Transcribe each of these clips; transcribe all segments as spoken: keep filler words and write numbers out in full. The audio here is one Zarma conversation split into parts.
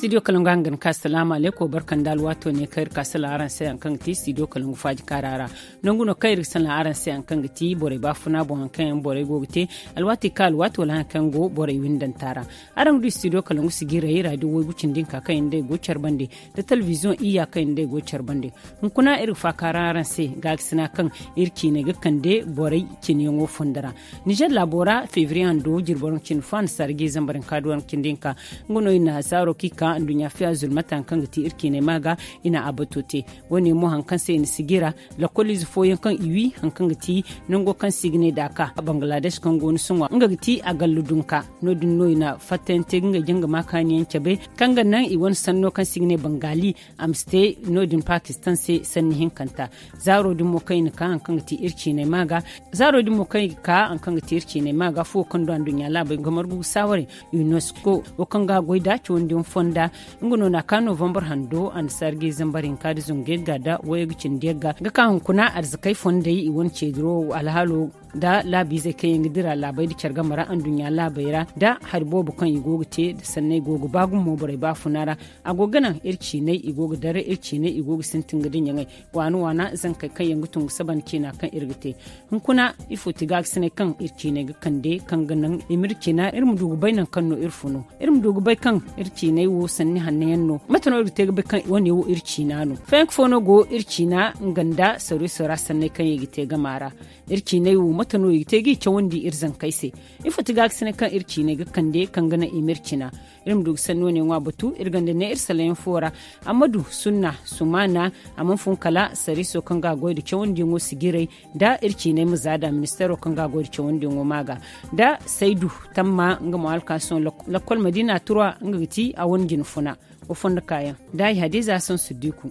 Studio kalangu hangan ka salaamu aleykum barka nda alwaato ne kaŋ iri ka salaŋ araŋ se hari kaŋ ga ti studio kalangu faaji kaara ra. Nangu no kaŋ iri ga salaŋ araŋ se hari kaŋ ga ti borey baafuna boŋ hari kaŋ yaŋ borey go ga te, alwaati ka alwaati wala hari kaŋ yaŋ go borey windanta ra. Araŋ ga du studio kalangu sigiray radio waygu cindi hinka kaŋ yaŋ day go care bande, nda telebiziyoŋ iyya kaŋ yaŋ day go care bande. Hunkuna iri ga faaka ra araŋ se gaakasina kaŋ iri ciinay ga kande borey cine yaŋo fondo ra. Nizer laabo ra febriye hando jirbi waranka cindi fo annasaara ga i zambar hinka da waranka cindi hinka. Nga no i na zaaro kaŋ i ka nduɲɲa fiya zulmata hari kaŋ ga ti iri ciinay ma ga, i na a bato te. Wo- ne mo hari kaŋ se i na sijira, lakkol ize fooyaŋ kaŋ i wi hari kaŋ ga ti nango kaŋ se i ga ne daaka bangaladesh kaŋ go ni sohõ nga ga ti a gallu dunka. No- din no i na fattayaŋ te ga ngey janga maakaaniyaŋ cabe, kaŋ ga naŋ i wane sanno kaŋ se i ga ne bangali, a ma si te no- din pakistan se sanni hinkanta. Zaaro din mo kaŋ i na ka hari kaŋ ga ti iri ciinay ma ga, zaaro din mo kaŋ i ga ka hari kaŋ ga ti iri ciinay ma ga fuwo kaŋ du anduɲɲa laabey ga margu ga saawaray, unesco wo kaŋ ga a goy nda cawandiyaŋ fonda. Nga no na a ka novambar hando annasaara ga i zambar hinka nda zangu yagga nda waygu cindi yagga ga ka hunkuna arzakey fondey i wane ceediro alhaalo nda laabiizey kaŋ yaŋ ga dira laabey nda care game ra anduɲɲa laabey ra nda hari boobo kaŋ i go ga te nda sanney go ga ba gumo borey baafuna ra. A go ga naŋ iri ciinay i go ga dare iri ciinay i go ga sintin ga diɲaŋey waana waana zankey kaŋ yaŋ ga tun ga saba nda ciina kaŋ iri ga te. Hunkuna ifo ti gaakasinay kaŋ iri ciinay ga kande kaŋ ga naŋ i ma iri ciina iri ma du ga bay nangu kaŋ no iri funu, iri ma du ga bay kaŋ iri ciinay wo sanni hanno yaŋ no. Mate no iri ga te ga bay kaŋ wane wo iri ciina no? Fayanka fo no go iri ciina nga nda sariiso ra sanney kaŋ i ga te gama ra. Iri ciinay wo mate no i ga te ga i cawandi iri zankey se? Ifo ti gaakasinay kaŋ iri ciinay ga kande kaŋ ga naŋ i ma iri ciina? Iri ma du ga sanni wane ŋwa batu iri gonda ne iri salayaŋ fo ra. Ammadu sunna sumaana, a mana fun kala sariiso kaŋ ga a goy nda cawandiyaŋo sijiray nda iri ciinay ma zaada ministeero kaŋ ga a goy nda cawandiyaŋo ma ga nda saydu tamma nga mo alkaasiyoŋ lakkol madiina turwa nga ga ti a wane jina funa. Wo fondo kaayaŋ nda ay hadiza sansu diiku.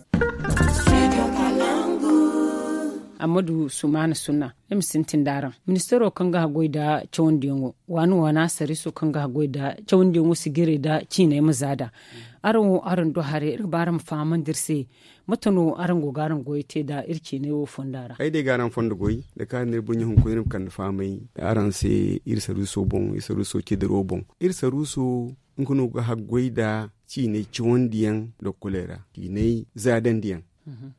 Ammadu sumaana sunna. Iri ma sintin da araŋ ministeero kaŋ ga a goy nda cawandiyaŋo waana waana sariiso kaŋ ga a goy nda cawandiyaŋo sijiray nda ciinay ma zaada. Araŋ wo araŋ du haray iri ga ba araŋ ma fahamandi iri se. Mate no araŋ go ga araŋ goyey te nda iri ciinay wo fonda ra? Ay day ga araŋ fondo goy da kaari no iri burɲe hunkuna iri ma kande fahamay araŋ se. Iri saruuso boŋ iri saruuso cediro boŋ iri saruuso nga no ga haggoy nda ciinay cawandiyaŋ lokkoley ra ciinay zaadandiyaŋ.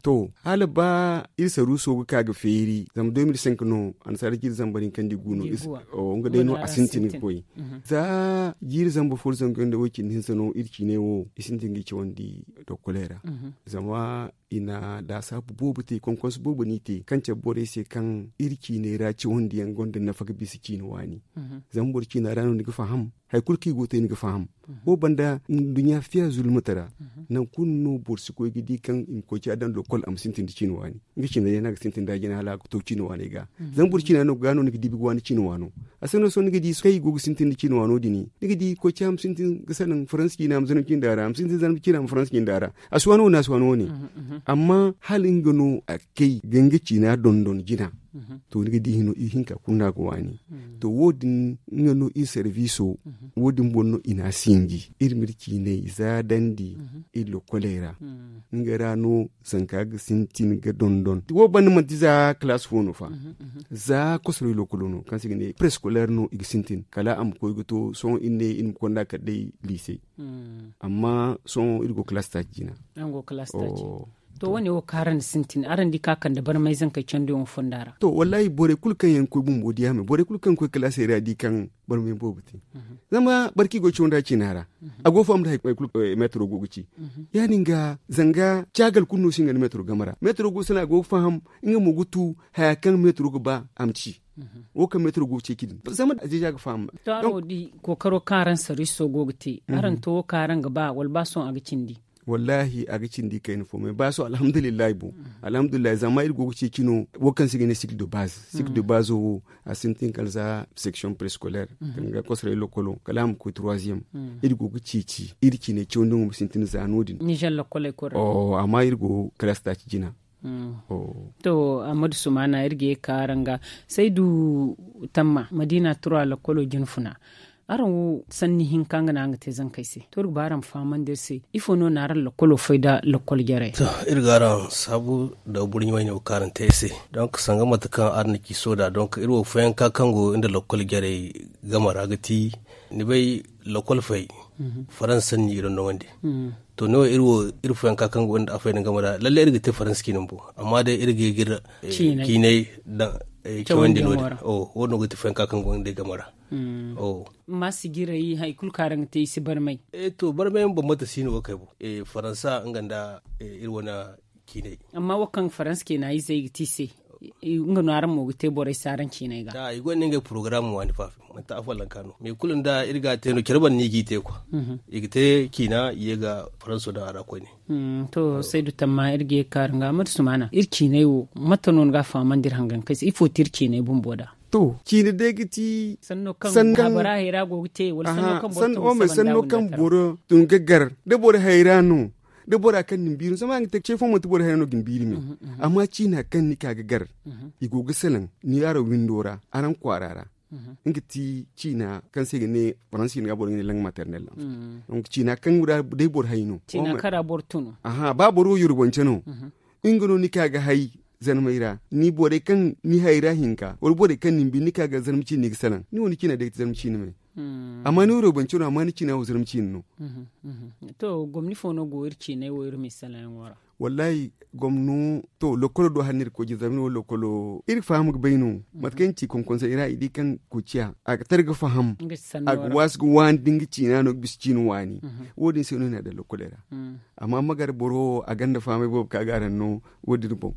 To hala ba iri saruuso ga ka ga feeri zama deux mille cinq no annasaara jiiri zambar hinka nda i gu no. Nga day no a sintin ga koy za jiiri zambar fo nda zangu yaŋ nda way cindi hinza no iri ciinay wo i sintin ga i cawandi lokkoley ra. Zama i na laasaabu boobo te konkonsu boobo no i te kaŋ cabe borey se kaŋ iri ciinay ra cawandiyaŋ gonda nafa ga bisa ciina waani. Zama boro ciina ra no ni ga faham hari kulu kaŋ i go ga te ni ga faham. Wo banda nduɲɲa fiya zulmata ra nangu kulu no boro si koy ga di kaŋ i ma koy ci a daŋ lokkol a ma sintin da ciina waani. Nga ciina day no a ga sintin da a jina hala a ga to ciina waaney ga. Zama boro ciina no ga no ni ga di ga waani ciina waano. A sanno sohõ ni ga di kaŋ i go ga sintin da ciina waano din ni ga di koy ci a ma sintin ga salaŋ faransi ciina a ma zanam ciina da ra a ma sintin zanam ciina a ma faransi ciina da ra. A si waani wane a si waani wane. Amma hala nga no a kay ga nga ciina dondon jina. To ni ga di hino iri hinka kulu no a ga waani. To wo- din nga no iri sarbiiso wo- din boŋ no i na a sinji iri ma iri ciinay zaadandi iri lokkoley ra. Nga ra no zanka ga sintin ga dondon wo banda manti za kalaasi fo no fa. Za kosorey lokolo no kaŋ se i ga ne preskoler no i ga sintin kala a ma koy ga to sohõ iri ne iri ma konda kala day liise. Amma sohõ iri go kalaasi taaci jina. To wo- ne wo kaŋ araŋ na sintin araŋ di kaŋ a kande barmay zankey candiyaŋo fonda ra? To wallaahi borey kulu kaŋ yaŋ ga koy bumbo di a me borey kulu kaŋ ga koy kalaasey ra di kaŋ barmay boobo te. Zama boro kaŋ i go ga caw nda ciina ra a go ga faham nda hari kulu meetaro go ga ci. Ya- din ga zanga caagal kulu no si nga nda meetaro game ra meetaro go ga salaŋ a go ga faham. Nga mo ga tu haya kaŋ meetaro ga ba a ma ci. Wo kaŋ meetaro go ga ceeci din zama a zeeja ga faham. To araŋ wo di kookaro kaŋ araŋ sarwiso go ga te araŋ to wo kaŋ araŋ ga ba wala ba sohõ a ga cindi? Wallaahi a ga cindi kayna fo me ba sohõ alhamdulillahi boŋ. Alhamdulillahi zama iri go ga ceeci no wo kaŋ se i ga ne sikil de baaze sikil de baaze wo a sintin kala za section prescolaire kaŋ ga kosoray lokolo kala a ma koy troisième. Iri go ga ceeci iri ciine cawandi mo ma sintin za no- din. Nizer lokoley kulu ra. Amma iri go kalaasi taaci jina. To ammadu sumaana iri ga ye ga ka araŋ ga saydu tamma madiina tura lokolo jina funa. Araŋ wo sanni hinka nga no araŋ ga te zankey se to iri ga ba araŋ ma fahamandi iri se ifo no na araŋ lokolo fay nda lokol jarey? To iri ga araŋ saabu nda burɲe wayne wo kaŋ araŋ te iri se. Donk sanga mate kaŋ araŋ na ci sohõ da donk iri wo fooyaŋ ka kaŋ go nda lokol jarey game ra ga ti ni bay lokol fay. Faransa sanni i dondonandi. To ne wo iri wo iri fooyaŋ ka kaŋ gonda a fayda game ra lalle iri ga te faransa ciine bumbo amma day iri ga iri ciinay daŋ cawandi no din. Wo- no ga ti fooyaŋ ka kaŋ gonda game ra. Amma sijiray hari kulu kaŋ araŋ ga te i si barmay. To barmay yaŋ bambata si no wo kay boŋ. Faransa nga nda iri wane ciinay. Amma wo kaŋ faransa ciina izey ga te i se nga no araŋ mo ga te borey se araŋ ciinay ga. I gonda ngey porogaram waani faafi manti a follanka no mais kulu nda iri ga a te no care banda no i g'i te kwa. I ga te ciina i ye ga faranso daŋ a ra koyne. To saydu tamma iri ga ye ga kaaru nga amadu sumaana iri ciinay wo mate no ni ga a fahamandi iri hangankey se ifo ti iri ciinay bumbo da? To ciine day ga ti sanno kaŋ bora hayra go ga te wala sanno kaŋ boro tun ga gar da bora hayra no da bora kaŋ na ni biiri no zama a ga te ce fo manti bora hayra no ga ni biiri me. Amma ciina kaŋ ni ka ga gar i go ga salaŋ ni araŋ windo ra araŋ kwaara ra. Nga ti ciina kaŋ se i ga ne faransi ciina ga boro ga ne lang maternel. Ciina kaŋ ra day boro hay no. Ciina kaŋ ra boro tun. Ba boro wo yurubance no nga no ni ka ga hay zarmey ra ni borey kaŋ ni hayra hinka wala borey kaŋ ni ma bi ni ka ga zarma ciine ni ga salaŋ ni wo ni ciina day ga ti zarma ciine me. Amma ni wo roobance no amma ni ciina wo zarma ciine no. To gomni fo no go iri ciinay wo iri ma i salaŋ yaŋo ra? Wallahi gomno to lokkolo do hala no iri ga koy jine zama ni wo lokkolo iri ga faham ga bay no. Mate kaŋ iri na ci konkonsey ra i di kaŋ koociya a ga tara ga faham a ga waasu ga waani da nga ciina no ga bisa ciine waani. Wo- din se no i na a daŋ lokkoley ra. Amma magare boro wo a gonda fahamay boobo kaŋ a ga araŋ no wo- din boŋ.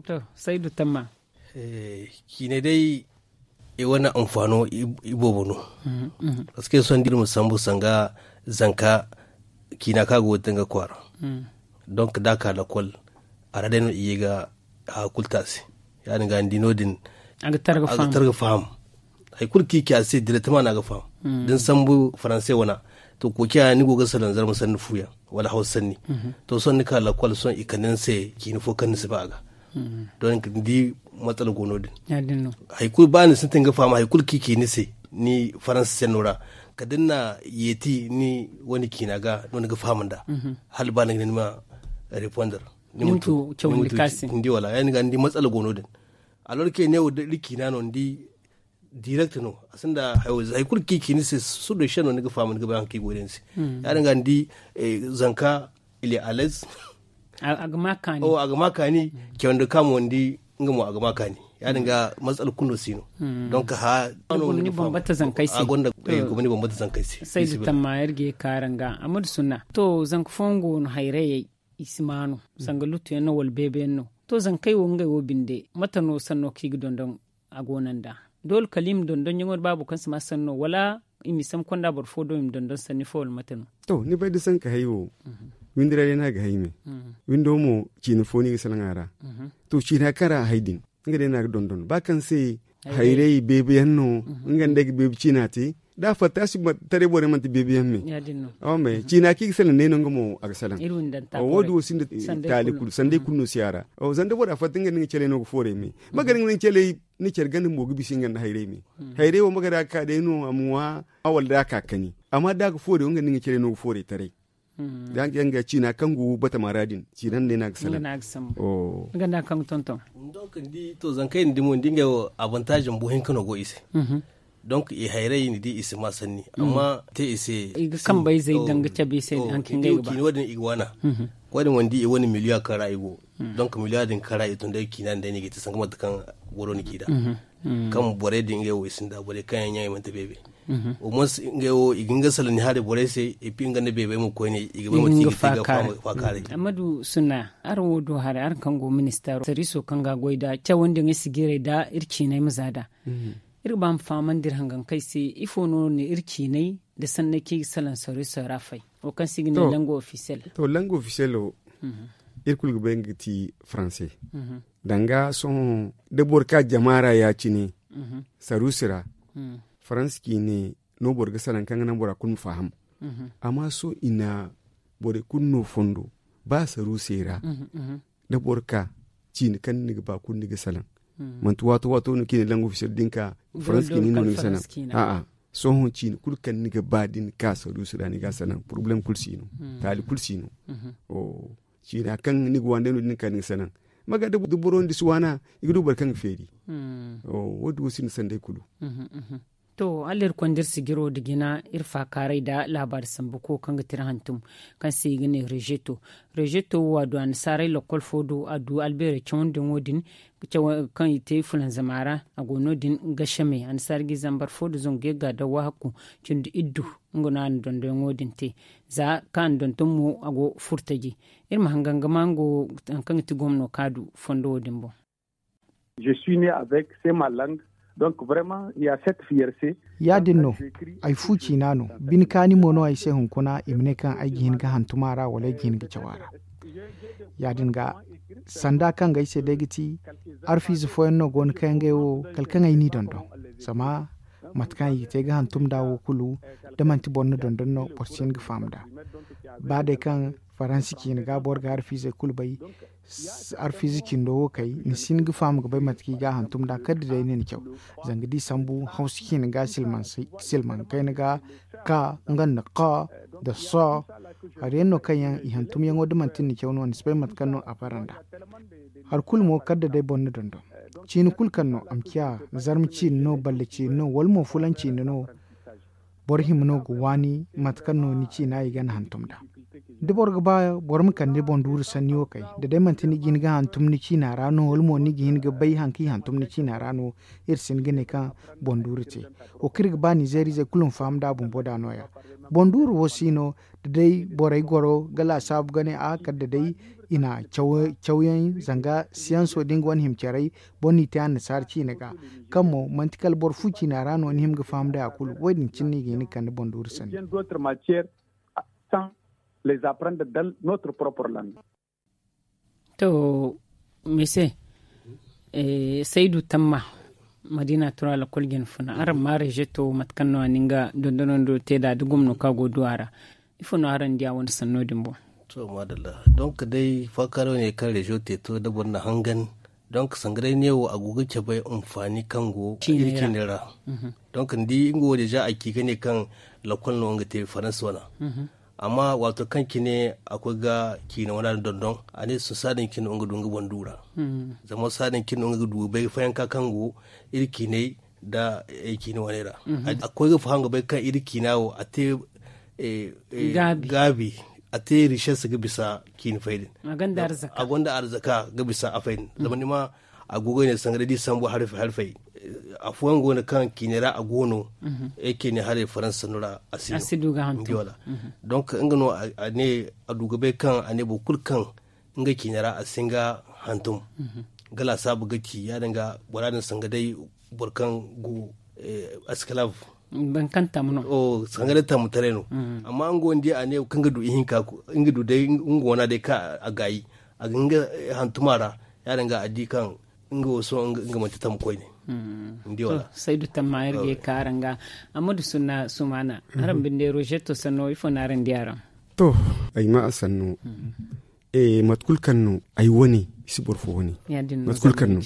To saydu tamma. Ciinay day i wane anfaano iboobo no. Parceque sohõ da iri ma sambu sanga zanka ciina kaŋ a go ga te nga kwaara. Donk da a ka lakkol a ra day no i ye ga haya kulu te a se. Ya- din ga ni di no- din a ga tar ga faham. Hari kulu kaŋ i ci a se direktama no a ga faham. Da ni sambu faranse wana to koociya ni go ga salaŋ zarma sanni fu yaŋ wala hawsa sanni. To sohõ ni ka lakkol sohõ i kande ni se ciina fo kaŋ ni si ba a ga. Donk ni di matsala go no- din. Hari kulu ba ni sintin ga faham hari kulu kaŋ i ci ni se ni faransa senno ra kala da ni na yeeti ni wane ciina ga no ni ga faham nd'a. Hala ba ni ga ne ni ma reponder ni ma tu cawandi ka se ni di wala ya- din ga ni di matsala go no- din. Alor ke ne wo da iri ciina no ni di direct no a sinda hari kulu kaŋ i ci ni se sudo se no ni ga faham ni ga bay hari kaŋ i go day ni se. Ya- din ga ni di zanka il est à l'aise. A ga ma kaani cawandi ka mo ni di nga mo a ga ma kaani. Ya- din ga matsala kulu no si no. Donk ha a gonda gomni bambata zankey se. Saydu tamma iri ga ye ga kaaru nga amadu sunna to zanka fooyaŋ go no hayrayey i si ma no sanga lutu yaŋ no wala beebe yaŋ no. To zankey wo ngey wo binde mate no sanno kaŋ i ga dondon a go no nd'a? Doole kala i ma dondon yaŋo da baabo kaŋ si ma sanno wala i ma i sambu konda boro fo do i ma dondon sanni fo wala mate no? To ni bay da sanka hay wo windi ra day no a ga hay me. Windo mo ciina fo no i ga salaŋ a ra. To ciina kaŋ ra a hay din nga day no a ga dondon ba kaŋ se hayray beebe yaŋ no. Nga nda ay ga beebe ciina te da a fatta a si taray borey manti beebe yaŋ me. Ciina kaŋ i ga salaŋ ne no nga mo a ga salaŋ. Wo- din wo sinda taali kulu sanday kulu no si a ra. Zama da bora fatta nga nda nga caley no ga fooray me. Magare nga nda nga caley ni care ganda mo ga bisa nga nda hayray me. Hayray wo magare a ga ka day no a ma ŋwa wala da a ka kani amma da a ga fooray wo nga nda nga caley no ga fooray taray. Da nga ciina kaŋ go batama ra din ciina nda ay no a ga salaŋ. Nga nda kaŋ ga tonton. Donk ni di to zankey ni di mo ni di ngey wo avantage bumbo hinka no go i se. Donk i hayray ni di i si ma sanni amma te i se i ga kambayzey daŋ ga cabe i se hari kaŋ ngey ga ba. Wo- din i ga waana. Wo- din wo ni di i wane miliya kaŋ ra i go. Donk miliya din kaŋ ra i tun day ciina din day no i ga te sanga mate kaŋ boro na ci nd'a. Kaŋ borey din ngey wo i sinda borey kaŋ yaŋ ɲaŋey manti beebe. Au moins ngey wo i ga hin ga salaŋ ni haray borey se. Et puis nga nda beebey mo koyne i ga bay mate i ga te ga faakaaray. Amadu sunna araŋ wo do haray araŋ kaŋ go ministeero sarwiiso kaŋ ga a goy nda cawandi ŋey sijiray nda iri ciinay ma za nd'a. Iri ga ba ma fahamandi iri hangankey se ifo no iri ciinay nda sanney kaŋ i ga salaŋ sarwiiso ra fay wo kaŋ se i ga ne lango ofisiyel? To lango ofisiyel wo iri kulu ga bay nga ga ti faranse. Danga sohõ da boro ka jama ra ya- cine saruusi ra faransa ciine no boro ga salaŋ kaŋ ga naŋ bora kulu ma faham. Amma sohõ i na borey kulu no fondo ba saruusey ra da boro ka ciine kaŋ ni ga ba kulu ni ga salaŋ. Manti waato waato no kaŋ i na lango ofisiyel din ka faransa ciine no ni ga salaŋ. A'a sohõ ciine kulu kaŋ ni ga ba da ni ka saruusi ra ni ga a salaŋ porobalem kulu si no. Taali kulu si no. Ciina kaŋ ni ga waani day no da ni ka ni ga salaŋ. Maga da boro nda si waana i ga du boro kaŋ ga feeri. Wo- din wo sinda sanday kulu. To, hala iri konda iri sijiro nda jina, iri faakaaray nda laabaari sambu ko kaŋ ga ti iri hantum, kaŋ se i ga ne rezeto. Rezeto wo, a du annasaarey lakkol fo do, a du albeerey cawandiyaŋo din, kaŋ i te fulanzama ra. A go no- din ga seme annasaara ga i zambar fo nda zangu ga yagga nda wahakku cindi iddu. Nga no a na dondoyaŋo din te. Za kaŋ a na donton mo, a go furtaji. Iri ma hangan ga ma nga wo, hari kaŋ ga ti gomno kaŋ a du fondo wo din boŋ. Je suis né avec c'est ma langue. Donc vraiment il ya cette fierté. Ya- din no. Ay fu ciina no. Bine kaani mo no ay se hunkuna i ma ne kaŋ ay ga hin ga hantum a ra wala ay ga hin ga caw a ra. Ya- din ga, sanda kaŋ ga ay se day ga ti, arfiize fooyaŋ no go no kaŋ yaŋ ga ay wo, kala kaŋ ay n'i dondon. Zama mate kaŋ i ga te ga hantum nd'a wo kulu, da manti boro na dondon no, boro si hin ga faham nd'a. Ba day kaŋ faransi ciina ga boro ga arfiizey kulu bay, arfiize cindo wo kay, ni si hin ga faham ga bay mate kaŋ i ga a hantum nd'a kala da day ni na caw. Zanga da i sambu hawsa ciina ga silmaŋ kayna ga, ka nga nda ka nda so. Hari yaŋ no kaŋ yaŋ i hantumyaŋo da manti ni na caw no ni si bay mate kaŋ no a bara nd'a. Hari kulu mo kala da day boro na dondon, ciina kulu kaŋ no a ma ciya, zarma ciina no, balle ciina no, wala mo fulaŋ ciina no. Boro hima no ga waani mate kaŋ no ni ciina i ga ni hantum nd'a. Da boro ga ba boro ma kande boŋ duuru sanni wo kay, da day manti ni ga hin ga hantum ni ciina ra no, wala mo ni ga hin ga bay hari kaŋ i hantum ni ciina ra no. Iri si hin ga ne kaŋ boŋ duuru te. Wo kaŋ iri ga ba nizeeriizey kulu ma faham nd'a bumbo da no- ya. Boŋ duuru wo si no, da day borey goro ga laasaabu ga ne a kala da day i na cawyaŋ zanga siyanso da nga wane hima caray, boro n'i te annasaara ciina ga, kaŋ mo manti kala boro fu ciina ra no ni hima ga faham nd'a kulu. Wo- din cine no i ga hin ga kande boŋ duuru sanni. To, mise, saydu tamma, madiina tura lakkol jina funa araŋ ma rezeto mate kaŋ no a na nga dondonando te nd'a da gomno kaŋ a go ga du a ra? Ifo no araŋ di a wane sanno din boŋ? To, maadalla. Donk day faakaaray wane kaŋ rezo te to da boro na hangan. Donk sanga day ne wo a go ga cabe anfaani kaŋ go iri ciinay ra. Donk ni di nga wo deeza a ci ga ne kaŋ lakkol no nga te faransa wana. Amma waato kaŋ cine a koy ga ciina wana dondon, a ne sohõ saadin cine no nga du nga boŋ du ra. Zama saadin cine no nga ga du bay fayanka kaŋ go iri ciinay nda ay ciina waney ra. A koy ga faham ga bay kaŋ iri ciina wo a te gaabi, a te riches ga bisa ciina fay din. A gonda arzaka ga bisa a fay din zama ni ma a go ga ne sanga day da i sambu hari fay hari fay. Afooyaŋ go no kaŋ ciinay ra a go no. Ay ciinay haray faransa sannu ra a si du ga hantum. Donk nga no a ne a du ga bay kaŋ a ne boro kulu kaŋ nga ciina ra a si hin ga hantum. Ga laasaabu ga ci ya- din ga bora din sanga day boro kaŋ go esclave. Sanga day tammataray no. Amma nga wo ni di a ne kaŋ ga du ihinka nga du day nga wana day kaŋ a gaayi a ga hin ga hantum a ra. Ya- din ga a di kaŋ nga wo sohõ nga manti tamma koyne. Ni di wala? Saydu tamma iri ga ye ga ka araŋ ga. Amma da sunna sumaana araŋ binde rozeto sanno ifo no araŋ di a ra? To, ay ma a sanno. Mate kulu kaŋ no ay wane i si boro fo wane. Mate kulu kaŋ no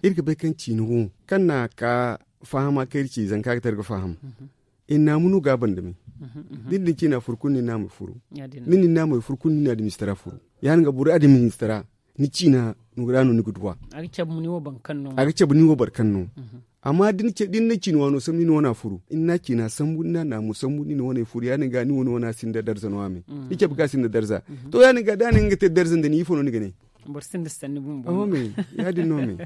iri ga bay kaŋ ciina wo kaŋ na ka fahama kaŋ iri ci zanka ga te iri ga faham. Iri naamu no ga a banda me. Da ni din ciina furu kulu ni naamey furu. Ni din naamey furu kulu ni na administra furu. Ya- din ga boro administra ni ciina ra no ni ga duw'a. A ga cabe ni wo boro kaŋ no. Amma da ni na ciina waano sambu ni na wana furu ni na ciina sambu ni na naamu sambu ni na wane furu ya- din ga ni wane wana sinda darza no a me. Ni cabe ga sinda darza. To ya- din ga da a ne nga ga te darza nda ni ifo no ni ga ne? Boro sinda sanni bumbo. Ya- din no me.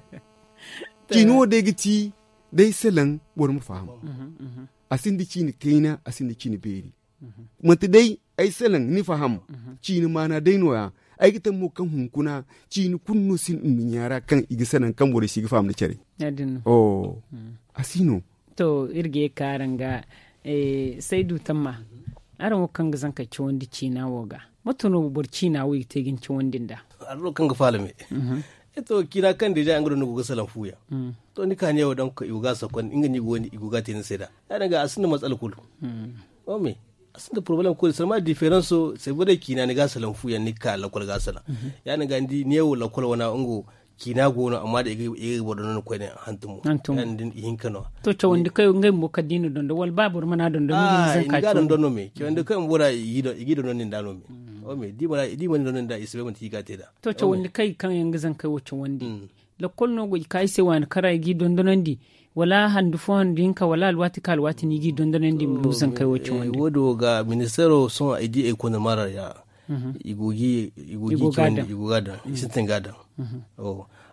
Ciina wo day ga ti day salaŋ boro ma faham. A sinda ciina kayna a sinda ciina beeri. Manti day ay salaŋ ni faham. Ciina maana day no- ya. Ay ga taŋ mo kaŋ hunkuna ciina kulu no sinda nduɲɲa ra kaŋ i ga salaŋ kaŋ borey si ga faham nda care. A si no. To iri ga ye ga ka araŋ ga saydu tamma. Araŋ wo kaŋ ga zankey cawandi ciina wo ga, mate no boro ciina wo i ga te ga ni cawandi nd'a? Araŋ no kaŋ ga faala me. To ciina kaŋ deeza nga do ni go ga salaŋ fu yaŋ. To ni ka ne wo donk i go ga a sakonda nga no i go ga a te ni se nd'a. Ya- din ga a sinda matsala kulu. A sinda porobalem koy da salma diferanso se borey ciina ni ga a salaŋ fu yaŋ ni ga ka lakkol ga a salaŋ. Ya- din ga ni di neewo lakkol wana nga wo ciina go no amma da i ga boro dondon koyne hantumo. Ya- din i hinka no. To cawandi koy ngey bumbo kala da i na dondon wala ba boro mana dondon ni ga ni zanka cawandi. Cawandi koy bumbo ra i ga i dondon din da no me. Da i mana i dondon din da i si bay manti i ga a te nd'a. To cawandi koy kaŋ yaŋ ga zankey wo cawandi lakkol no go i ka i se waani kara i ga i dondonandi. Wala handu fo handu hinka wala alwaati ka alwaati no i g'i dondonandi i ma du zankey wo cawandi? Wo- din wo ga ministeero sohõ ay di ay konda maara ya. I go ga i cawandi i sintin ga a daŋ.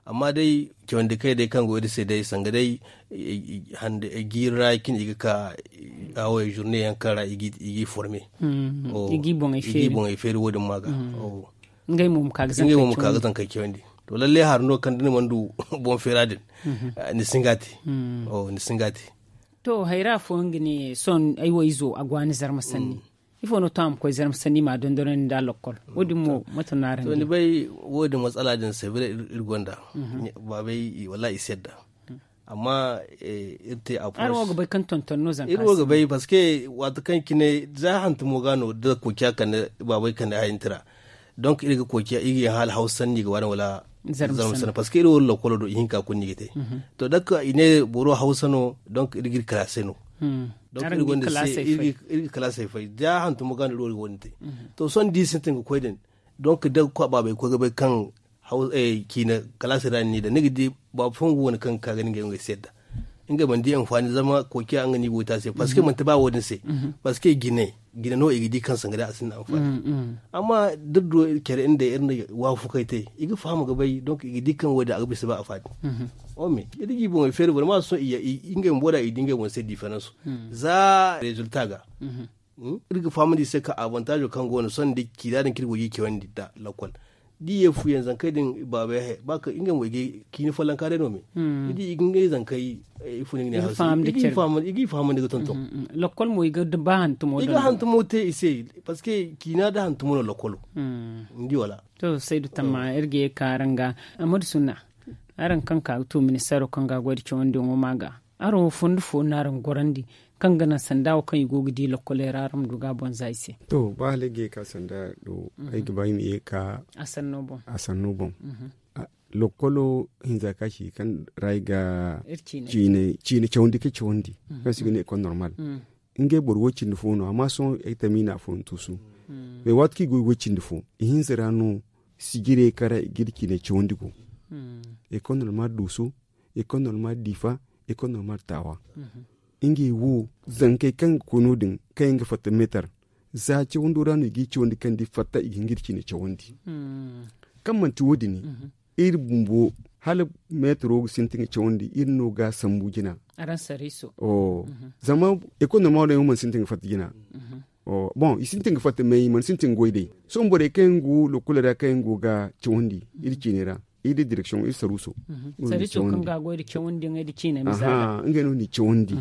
Amma day cawandi kay day kaŋ go iri se day sanga day jiiri ra cine i ga ka, awo journée yaŋ kaŋ ra i g'i forme. I g'i boŋey feeri wo- din ma ga. Ngey mo ma ka ga zankey cawandi. To lalle hari no kaŋ da ni mana du boŋ feera din, ni si hin ga a te. Ni si hin ga a te. To hayra fooyaŋ ga ne sohõ ay wo izo a go a ni zarma sanni. Ifo no to a ma koy zarma sanni i ma a dondonandi nda a lokkol? Wo- din mo mate no araŋ ga ne? Ni bay wo- din matsala din se bire iri gonda. Baabay wallaahi i si yadda. Amma iri te a pos. Araŋ wo ga bay kaŋ tonton no zanka iri wo ga bay parce que waati kaŋ cine za hantumo ga no da koociya kande baabay kande hayantira. Donc iri ga koociya iri ga yaŋ hala hawsa sanni ga waani wala zarma sanni parce que iri wo lokkolo do ihinka kulu no i ga te. To dakka i ne boro hawsa no donc iri ga iri kalaasey no. Donc iri gonda se iri ga kalaasey fay za hantumo ga no iri wo ga wo- din te. To sohõ da i sintin ga koy din donc da baabay koy ga bay kaŋ ciina kalaasey ra ni n'i daŋ ni ga di baaba fooyaŋ go wane kaŋ ga ka ga ni ngey wo ngey si yadda. Ngey mana di anfaani zama koociya nga no i go ga te a se parce que manti ba wo- din se. Parce que jine jine no i ga di kaŋ sanga day a sinda anfaani. Amma da iri du care iri nda iri na waafakey te i ga faham ga bay donc i ga di kaŋ wo- din a ga bisa ba anfaani. Ome iri ga i boŋey feeri boro ma sohõ ngey bumbo da i di ngey boŋ se différence za résultat ga. Iri ga fahamandi i se kaŋ avantage kaŋ go no sohõ da ciina din kaŋ iri go ga i cawandi nda lakkol da i ye fuyaŋ zankey din baabey haya ba kaŋ ngey mo i ga ciina follonka day no me. Ni di i ga ngey zankey ifo no i ga ne hawsa i ga i fahamandi ga tonton. Lakkol mo i ga ba hantumo i ga hantumo te i se. Parce que ciina da hantumo no lakkolo. Ni di wala? To saydu tamma iri ga ye ka araŋ ga. Amadu sunna araŋ kaŋ ka ga to ministeero kaŋ ga a goy nda cawandiyaŋo ma ga araŋ wo fondo fo no araŋ gorandi kaŋ ga naŋ sanda wo kaŋ i go ga di lokkoley ra araŋ ma du ga a boŋ za i se? To ba hala ay ga ye ka sanda do ay ga ba ay ma ye ka a sanno boŋ. Lokkolo hinza ka ci kaŋ ra ay ga ciine cawandi ka cawandi kaŋ se i ga ne école normal. Ngey boro wo cindi fo no amma sohõ ay tamina afooyaŋ tuusu. Mais waati kaŋ i go i go cindi fo i hinza ra no sijirey kaŋ ra i ga iri ciine cawandi go. École normal duuso, école normal diifa, école normal taawa. Ngey wo zankey kaŋ ga koy no- din kaŋ yaŋ ga fatta meetar za cawando ra no i g'i cawandi kaŋ da i fatta i ga hin ga iri ciine cawandi. Kaŋ manti wo- din iri bumbo hala meetaro ga sintin ga cawandi iri no ga a sambu jina. Zama école normal wo day yaŋ mana sintin ga fatta jina. Bon i sintin ga fatta mais i mana sintin ga goy day sohõ borey kaŋ yaŋ go lokkoley ra kaŋ yaŋ go ga cawandi iri ciine ra iri da direction iri saruuso. Saruuso kaŋ ga a goy da cawandi yaŋey da ciine misaala ngey no ni cawandi.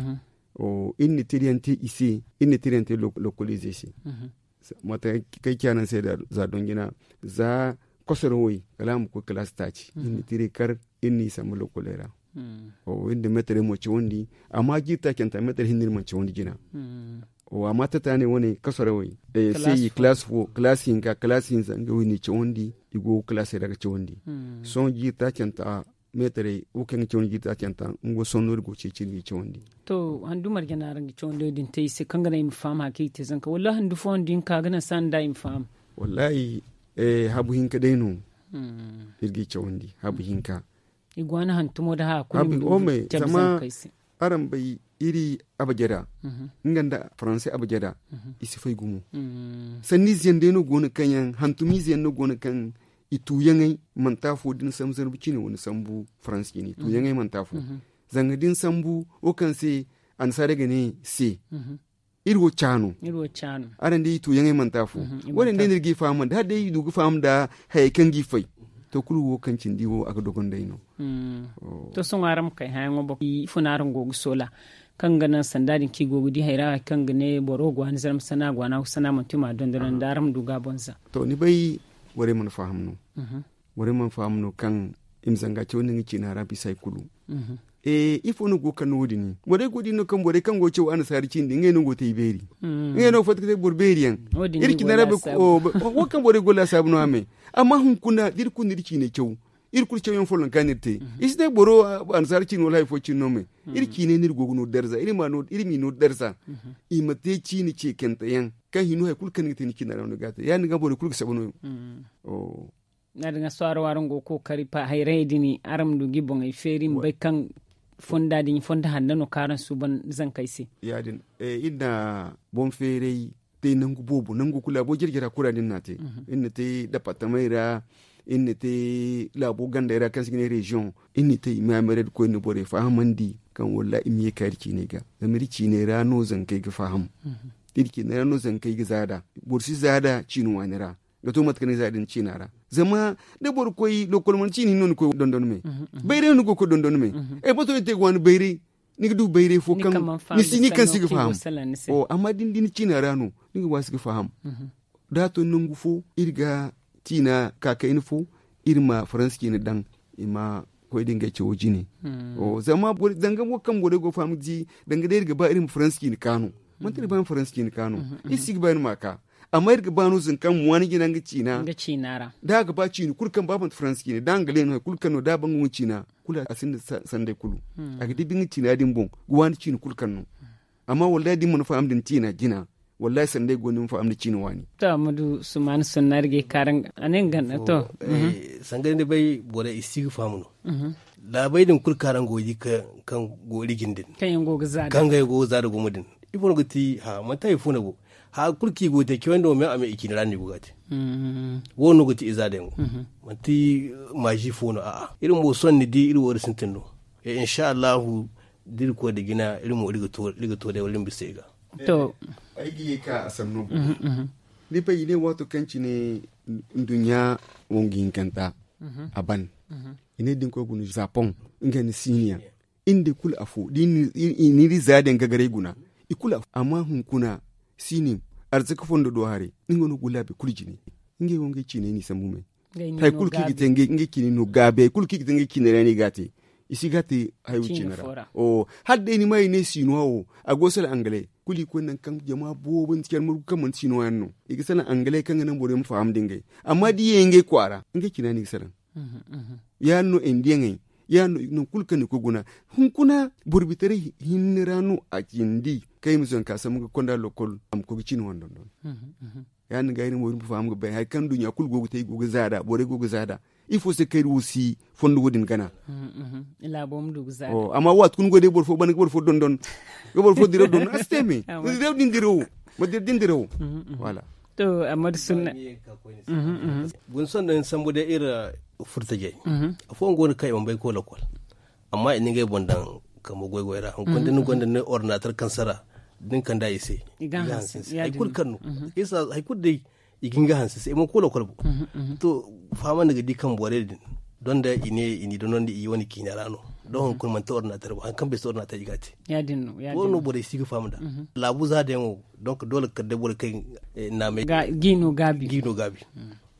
Iri na tiriyaŋ te i se iri na tiriyaŋ te lokkoliizey se. Mate kaŋ ay ciya naŋ se za doŋ jina za kosorawey kala a ma koy kalaasi taaci iri na tiray kar iri n'i sambu lokkoley ra. Iri na meetarey mo cawandi amma jiiri taacanta meetar hinne iri mana cawandi jina. Amma tata ne wane kasorawey se i kalaasi fo kalaasi hinka kalaasi hinza ngey wo i n'i cawandi. I go ga kalaasey ra ga cawandi sohõ jiiri taacanta meetarey wo kaŋ ga cawandi jiiri taacanta nga wo sohõ no iri go ga ceeci iri n'i cawandi. To handu marje no araŋ ga cawandi din te i se kaŋ ga naŋ i ma faham hari kaŋ i ga te zanka wallaahi handu fo handu hinka ga naŋ se a nda i ma faham. Wallaahi habu hinka day no. Iri ga i cawandi habu hinka. I go a na hantumo nda haya kulu i ma du ga cabe zankey se. Araŋ bay iri abajada nga nda faranse abajada i si fay gumo. Sanniize yaŋ day no go no kaŋ yaŋ hantumiize yaŋ no go no kaŋ i tuuyaŋey manti afo da ni sambu zarma ciine wala ni sambu faranse ciine i tuuyaŋey manti afo. Zanga da ni sambu wo kaŋ se annasaarey ga ne se iri wo caano. Araŋ day i tuuyaŋey manti afo. Wo- din day no iri g'i fahamandi hala day i du ga faham nda hayey kaŋ g'i fay. To kulu wo kaŋ cindi wo a ga dogon day no. To sohõ araŋ ma kay hayaŋo boŋ ifo no araŋ go ga soola kaŋ ga naŋ sanda din kaŋ i go ga di hayra hari kaŋ ga ne boro go a ni zarma sana go a ni haw sana manti ma dondonandi araŋ ma du ga a boŋ za. To ni bay borey mana faham no. Borey mana faham no kaŋ i ma zanga cawandi nga ciina ra bisa hari kulu. Ifo no go ga kande wo- din borey go ga di no kaŋ borey kaŋ go ga caw annasaara ciine din ngey no go ga te i beeri. Ngey no ga fatta ga te boro beeri yaŋ. Iri ciina ra wo kaŋ borey go laasaabu no a me. Amma hunkuna da iri kulu na iri ciiney caw iri kulu cawyaŋ follonka no iri te. I si ne boro annasaara ciine wala hari fo ciine no me. Iri ciiney no iri go ga no darza iri m'i no darza. I ma te ciine ceekante yaŋ kaŋ hino hari kulu kaŋ ni ga te ni ciina ra no ga a te ya- din ga borey kulu ga saba no. Ya- din ga sohõ araŋ wo araŋ go ga kookari hayrayey din araŋ ma du ga i boŋey feeri ma bay kaŋ Fonda din fondo hanno no kaŋ araŋ suuban zankey se. Ya- din iri na boŋ feeray te nangu boobo nangu kulu a boobo jare jare a kulu ra no iri na a te. Iri na te dapartamey ra, iri na te laabo gandey ra kaŋ se i ga ne reziyoŋ. Iri na te i ma ya meerey da koy iri na borey fahamandi kaŋ wallaahi i ma ye ka iri ciiney ga. Zama iri ciiney ra no zankey ga faham. Iri ciiney ra no zankey ga zaada. Boro si zaada ciini waani ra. Ga to mate kaŋ ni ga zaada ni ciina ra. Zama da boro koy lokkol mana ciini hinne no ni koy dondon me. Bayray no ni go ga koy dondon me. Ay bato ni te ga waani bayray. Ni ga du bayray fo kaŋ ni si ni kaŋ si ga faham. Amma da ni di ni ciina ra no, ni ga waasi ga faham. Da a to nangu fo iri ga ciina ka kayna fo, iri ma faransi ciina daŋ. I ma koy da ngey cawo jine. Zanga wo kaŋ borey go ga faham ga di danga day iri ga ba iri ma faransi ciina kaanu. Manti iri ga ba iri ma faransi ciina kaanu. Iri si ga ba iri ma a ka. Amma iri ga ba no zanka ma waani jina nga ciina. Da a ga ba ciina kulu kaŋ ba manti faransi ciina da a ga leeno hari kulu kaŋ no da a ba nga wane ciina, kulu a sinda sanday kulu. A ga dibi nga ciina din boŋ ga waani ciina kulu kaŋ no. Amma wallaahi da ni mana faham da ni ciina jina, wallaahi sanday go no ni ma faham da ciina waani. To a ma du sumaani sonna iri ga ay kaara nga a ne nga na to. Sanga ni bay borey i si ga faham no. Laabey din kulu kaŋ araŋ go ga di kaŋ go iri jine din kaŋ yaŋ go ga zaada gumo din. Ifo no ga ti ha manti hari fo no go. Hari kulu kaŋ i go ga te cawandi wo me a me i ciina ra no i go ga a te. Wo- no ga ti izaada yaŋo. Manti maazi fo no a'a iri mo sohõ ni di iri wo iri sintin no. Insa allahu da iri koy nda jina iri mo iri ga to day wala iri ma bisa i ga. To ay ga ye ka a sanno boŋ. Ni bay i ne waato kaŋ cine nduɲɲa wongu hinkanta a ban. I ne da ni koy guna zapoŋ nga nda siiniyaŋ. Iri nda i kulu afo da i na iri za daŋ gagaray guna. I kulu afo amma hunkuna siini arzaka fondo do haray. Nga no go laabi kulu jine. Ngey wo ngey ciinay no i sambu me. Hari kulu kaŋ i ga te ngey ciinay no gaabi hari kulu kaŋ i ga te ngey ciinay ra no i ga a te. I si ga a te hayo ciine ra. Hala day ni ma i ne sinuwa wo a go ga salaŋ angale kulu i koy nangu kaŋ jama boobo ni si care margu kaŋ manti sinuwa yaŋ no. I ga salaŋ angale kaŋ ga naŋ borey ma faham nda ngey. Amma da i ye ngey kwaara ngey ciina no i ga salaŋ. Ya- din no indiyaŋey ya- din no nangu kulu kaŋ ni koy guna. Hunkuna boro bitaray hinne ra no a cindi kaŋ i ma zanka sambu ga konda lokkol a ma koy ga ciine wane dondon. Ya- din ga iri mo iri ma faham ga bay hari kaŋ duɲɲa kulu go ga te i go ga zaada borey go ga zaada. Ifo se kaŋ iri wo si fondo wo- din gana. Amma waati kulu ni go day boro fo bana ga boro fo dondon ga boro fo diraw dondon a si te me. Diraw din dirawo ma dira din dirawo. Wala. To amma da sunna. Guna sohõ day ni sambu day iri furtajey. Afooyaŋ go no kaŋ i mana bay ga koy lokkol. Amma i na ngey boŋ daŋ kambe goy-goy ra hunkuna da ni gonda ni ordinator kaŋ sara da ni kand'a i se. I ga hanse hari kulu kaŋ no. Hari kulu day i ga hin ga hanse se i mana koy lokkol boŋ. To fahamandi ga di kaŋ borey din donda i ne i n'i dondonandi i wane ciina ra no. Da hunkuna manti ordinator boŋ hari kaŋ bay se ordinator i ga a te. Wo- din no borey si ga faham nd'a. Laabu za da yaŋo donk doole ga kala day borey kaŋ naamay ga i no gaabi.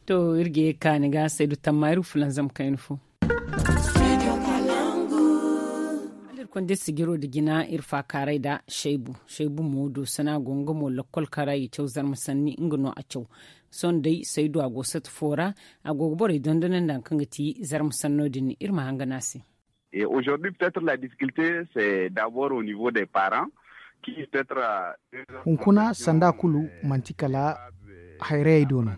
To iri ga ye ga ka ni ga saydu tamma iri ga fulanzam kayna fo. Hala iri konda iri sijiro nda jina iri faakaaray nda saybu. Saybu mo doosana go nga mo lokkol kaŋ ra i caw zarma sanni nga no a caw. Sohõ day saydu a go sata fo ra a go ga borey dondonandi hari kaŋ ga ti zarma sanno din iri ma hangana a se. Hunkuna sanda kulu manti kala hayrayey do no.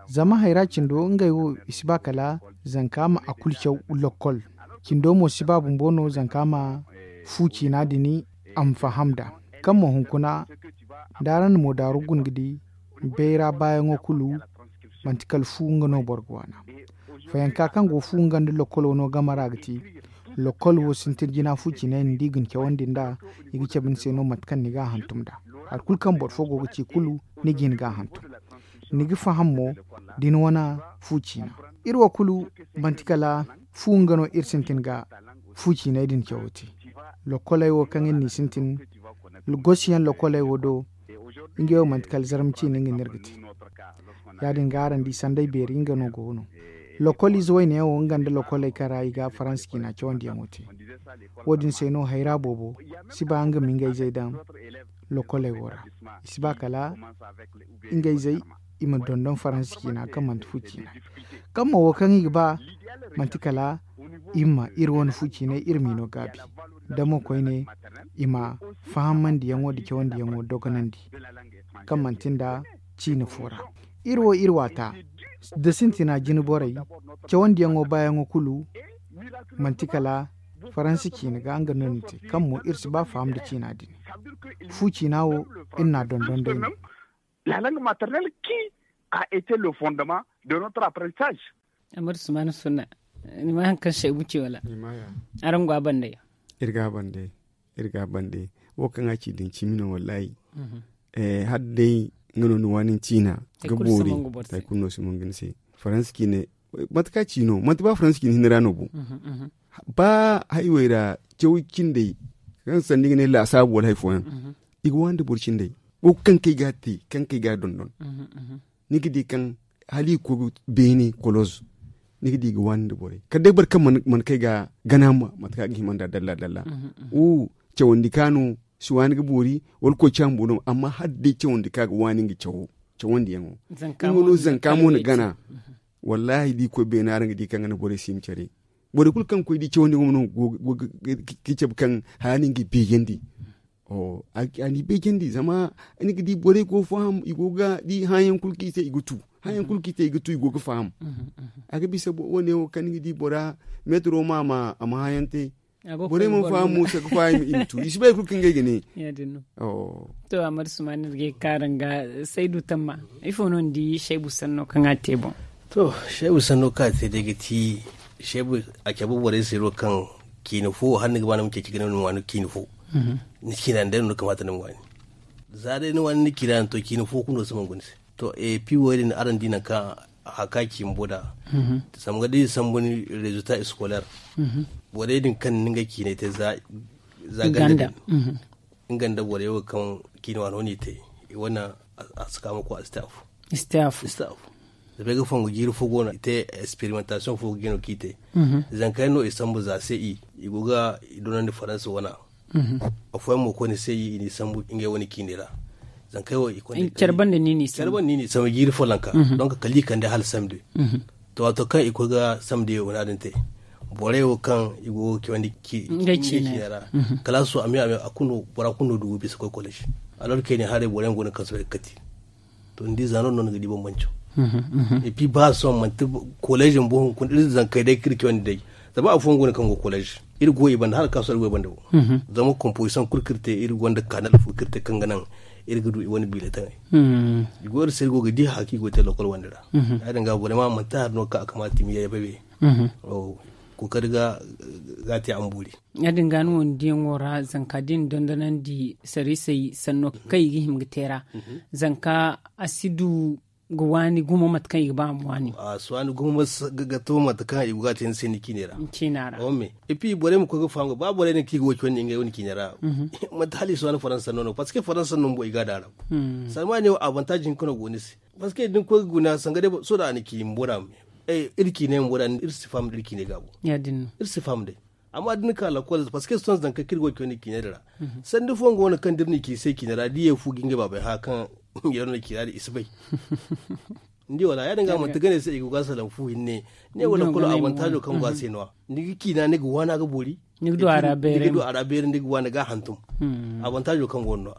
Zama hayra cindo ngey wo i si ba kala zanka ma a kulu caw lokkol. Cindo mo si ba bumbo no zanka ma fu ciina din a ma faham nd'a. Kaŋ mo hunkuna da araŋ na moodaaru guna ga di bayra baayaŋo kulu manti kala fu nga no boro ga waana. Fayanka kaŋ go fu nga nda lokkolo no game ra ga ti lokkol wo sintin jina fu ciinay no da i ga ni cawandi nd'a. I ga cabe ni se no mate kaŋ ni ga a hantum nd'a hari kulu kaŋ boro fo go ga ci kulu ni ga hin ga a hantum. Ni ga faham mo da ni wane fu ciina iri wo kulu manti kala fu nga no iri sintin ga fu ciinay din cawo te. Lokkoley wo kaŋ iri n'i sintin gosiyaŋ lokkoley wo do ngey wo manti kala zarma ciine nga no iri ga te. Ya- din ga araŋ di sanday beeri nga no go no. Lokkol ize wayne yaŋ wo nga nda lokkoley kaŋ ra i ga faransa ciina cawandiyaŋo te. Wo- din se no hayra boobo si ba nga ma ngey zey daŋ lokkoley wo ra. I si ba kala ngey zey i ma dondon faransa ciina kaŋ manti fu ciina. Kaŋ mo wo kaŋ i ga ba manti kala i ma iri wane fu ciinay iri m'i no gaabi. Da mo koyne i ma fahamandiyaŋo nda cawandiyaŋo dogonandi kaŋ manti nda ciine fo ra. Iri wo iri waata da sintina jine borey cawandiyaŋo baayaŋo kulu manti kala Faransi ciina ga nga no ni te kaŋ mo iri si ba faham nda ciina din. Fu ciina wo iri n'a dondon day no. La langue maternelle qui a été le fondement de notre apprentissage. Amadu sumana sunna, ni ma hari kaŋ saybu ci wala? Araŋ go a bande? Iri ga a bande. Iri ga a bande. Wo kaŋ a ci din cimi no wallahi. Hala day nga no ni waani ni ciina ga boori. Hari kulu no si mongu ni se. Faransi ciine mate kaŋ a ci no manti ba faransi ciine hinne ra no bo. Ba haywey ra caw cindey kaŋ sanda i ga ne laasaabu wala hari fooyaŋ, i ga waani nda boro cindey. Wo kaŋ kay ga a te kaŋ kay ga a dondon. Ni ga di kaŋ hala i ga koy ga beene koloz. Ni ga di i ga waani nda borey kala day boro kaŋ mana kay ga gana mate kaŋ a ga hima nd'a dalla dalla. Wo cawandi ka no si waani ga boori wala koy caambu no amma hala day cawandi ka ga waani nga cawo cawandiyaŋo. Nga no zanka mo na gana. Wallahi da i koy beene araŋ ga di kaŋ ga na borey si ma care. Borey kulu kaŋ ga koy di cawandi mo no go ga cabe kaŋ haya no nga i beejandi. A n'i beejandi zama ni ga di borey go faham i go ga di hããyaŋ kulu kaŋ i te i ga tu hããyaŋ kulu kaŋ i te i ga tu i go ga faham. A ga bisa wo- ne wo kaŋ ni ga di bora metro ma a ma hããyaŋ te. Borey mana faham mo se ga faham i ma tu i si bay kulu kaŋ ngey ga ne. To a marsu ma ni ga ye ga kaara nga saydu tamma ifo no ni di shaybu sanno kaŋ a te boŋ? To shaybu sanno kaŋ a te day ga ti shaybu a cabe borey se no kaŋ ciina fo hala ni ga ba ni ma ceeci ga ne ni ma waani ciina fo. Ni ciina ni day no ni kamaata ni ma waani. Za day ni waani ni ciina yaŋ to ciina fo kulu no si mangu ni se. To e pi wo- din araŋ di nangu kaŋ haka ci bumbo nd'a. Zama ga da i sambu ni rezuta eskoler borey din kaŋ ni nga ciinay te za ganda din. Nga nda borey wo kaŋ ciina waano no i te i wane a si ka ma koy a si te afo. Zama ay ga fongu jiiri fo go no i te esperimentasiyoŋ fo ga jino kaŋ i te. Zanka yaŋ no i sambu za se i i go ga i donandi faransa wana. Afooyaŋ mo koyne se i n'i sambu ngey wane ciinay ra. Zankey wo i koyne care banda ni n'i sambu jiiri folloŋ ka donk kala i kande hala samde. To waato kaŋ i koy ga samde wo no- din te borey wo kaŋ i go ga cawandi ciinay ra. Kala a su a me a me a kulu no bora kulu no du ga bisa koy kolej. Alor kayne haray boro yaŋ go no kaŋ soobay ga kati. To ni di za no no ni ga di bambanco. Epi ba sohõ manti kolej bumbo hunkuna iri zankey day kaŋ iri cawandi day. Zama afooyaŋ go no kaŋ go kolej iri go i banda hala kaŋ a sohõ iri go i banda wo. Zama kompozisaŋ kulu kaŋ iri te iri gonda kanal fo kaŋ iri te kaŋ ga naŋ iri ga du i wane biiletaŋey. I go iri se iri go ga di haya kaŋ i go ga te lokol wande ra. Ya- din ga borey ma manti hari no kaŋ a kamaata i ma ye bay bay. Kookari ga te a ma boori. Ya- din ga ni wo ni diyaŋo ra zanka da i na dondonandi sarisey sanno kaŋ i ga hima ga te ra. Zanka a si du ga waani gumo mate kaŋ i ga ba a ma waani. A si waani gumo ga to mate kaŋ i go ga a te ni se ni ciine ra. Ciina ra. Epi borey ma koy ga faham ga ba borey din kaŋ i ga wo cawandi ngey wane ciine ra. Manti hala i si waani faransa sanno no parceque faransa sanno bumbo i ga a daara. Salma ne wo avantaaz hinka no go ni se. Parceque da ni koy ga guna sanga day sohõ da a na ci bumbo da iri ciinay bumbo da iri si faham da iri ciinay ga bo. Iri si faham day. Amma da ni ka lakol parceque sohõ zankey kaŋ iri go ga cawandi ciinay din ra. Sanda fooyaŋ go no kaŋ da iri na ci i se ciine ra da i ye fu ga ngey baabey hã kaŋ yero no ciina din i si bay. Ni di wala ya- din ga manti gane se i go ga a salaŋ fu hinne. Ne wo lakol avantazo kaŋ go a se no- ya ni ga ciina ni ga waana ga boori. Ni ga du a ra beeri ni ga waana ga a hantum. Avantazo kaŋ go no-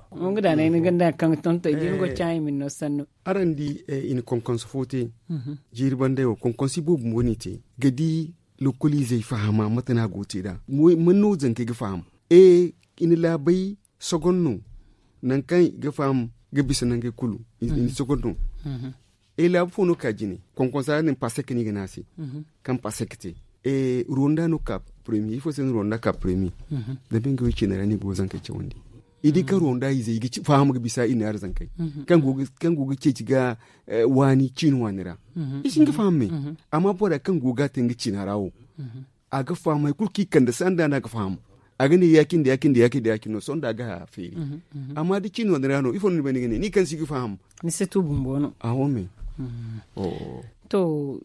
ya. Araŋ di i na konkonso fo te. Jiiri bandey wo konkonso boobo mo no i te ga di lokoliizey fahama mate no a go ga te nd'a. Man no zankey ga faham? E i na laabey sogon no. Nangu kaŋ i ga faham ga bisa nangey kulu i na sogon no. E laabu fo no ga ka jine konkonsa din pasek no i ga ne a se. Kaŋ pasek te ruwanda no ga ka premier ifo se no ruwanda ga ka premier? Zama ngey wo ciine ra no i go ga zankey cawandi. I di kaŋ ruwanda izey i ga faham ga bisa i naari zankey kaŋ go ga ceeci ga waani ciine waani ra. I si hin ga faham me. Amma bora kaŋ go ga a te nga ciina ra wo a ga faham hari kulu kaŋ i kande sanda no a ga faham. A ga ne ya- cine da ya- cine da ya- cine da ya- cine no sohõ da a ga haya feeri. Amma da ciine waani ra no ifo no ni bay ni ga ne ni kaŋ si ga faham? Ni si tu bumbo no. Aho me. To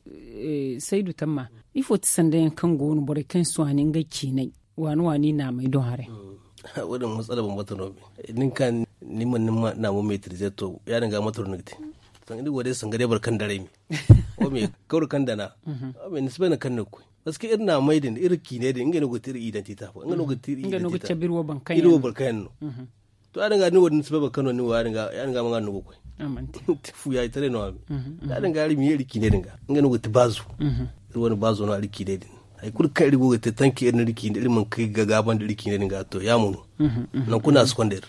saydu tamma, ifo ti sanda yaŋ kaŋ go no borey kaŋ si waani ngey ciinay waani waani naamey do haray? Wo- din matsala bambata no me. Nin ka ni mana ni ma naamo metrize to ya- din ga mate no ni ga te. Sanga ni go day sanga day boro kaŋ daray me. Wo me kawri kaŋ dana. Wo me ni si bay nangu kaŋ ni ga koy. Parceque iri naamey din iri ciiney din ngey no ga te iri idantite afo ngey no ga te iri idantite. Iri wo boro kaŋ yaŋ no. To ya- din ga ni wo- din ni si bay boro kaŋ no ni wo ya- din ga ma nga no ga koy. Fu ya- itaray no a me. Ya- din ga iri ma ye iri ciiney din ga ngey no ga te baazo. Iri wane baazo no iri ciiney din. Hari kulu kaŋ iri go ga te tanki iri na iri ciine iri mana kay ga gaabandi iri ciine din ga to ya mo no. Nangu kulu no a si konda iri.